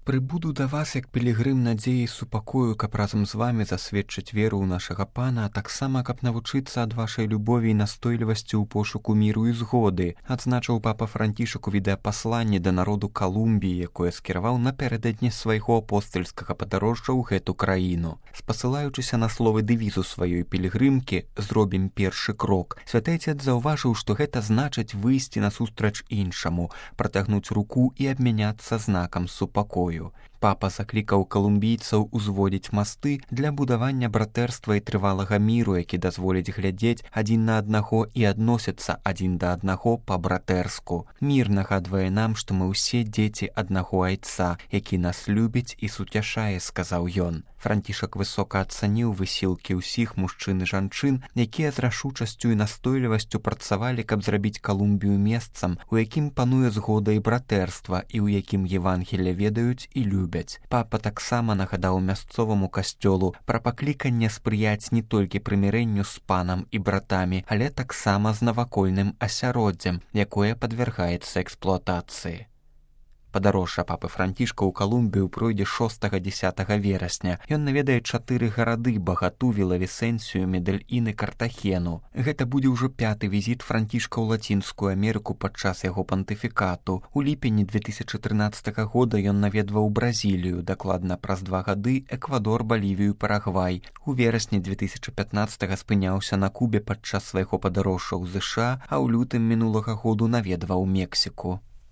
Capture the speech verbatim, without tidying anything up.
Прыбуду да вас як пілігрым надзеі і супакою, каб разам з вамі засведчыць веру ў нашага пана, а таксама каб навучыцца ад вашай любові і настойлівасці ў пошуку міру і згоды, адзначыў папа Францішак у відэапасланні да народу Калумбіі, якое скіраваў напярэдадні свайго апостальскага падарожжа ў гэту краіну. Спасылаючыся на словы дэвізу сваёй пілігрымкі «Зробім першы крок», святы Отец заўважыў, што гэта значыць выйсці насустрач іншаму, працягнуць руку і абмяняцца знакам супакою. Папа заклікаў калумбійцаў узводзіць масты для будавання братэрства і трывалага міру, які дазволіць глядзець адзін на аднаго і адносіцца адзін да аднаго па-братэрску. Мір нагадвае нам, што мы ўсе дзеці аднаго айца, які нас любіць і суцяшае, сказаў ён. Францішак высока ацаніў высілкі ўсіх мужчын і жанчын, якія з рашучасцю і настойлівасцю працавалі, каб зрабіць Калумбію месцам, у якім пануе згода і братэрства і ў якім Евангелле ведаюць і любяць. Папа таксама нагадаў мясцоваму касцёлу пра пакліканне спрыяць не толькі прымірэнню з панам і братамі, але таксама з навакольным асяроддзем, якое падвяргаецца эксплуатацыі. Падарожжа папы Францішка ў Калумбію пройдзе шостага-дзесятага верасня. Ён наведае чатыры гарады: Багату, Вілавісенсію, Медэльін і Картахену. Гэта будзе ўжо пяты візіт Францішка ў Лацінскую Амерыку падчас яго пантыфікату. У ліпені две тысячы трынаццатага года ён наведваў Бразілію, дакладна праз два гады Эквадор, Балівію, Парагвай. У верасні две тысячы пятнаццатага спыняўся на Кубе падчас свайго падарожжа ў ЗША, а ў лютым мінулага году наведваў Мексіку.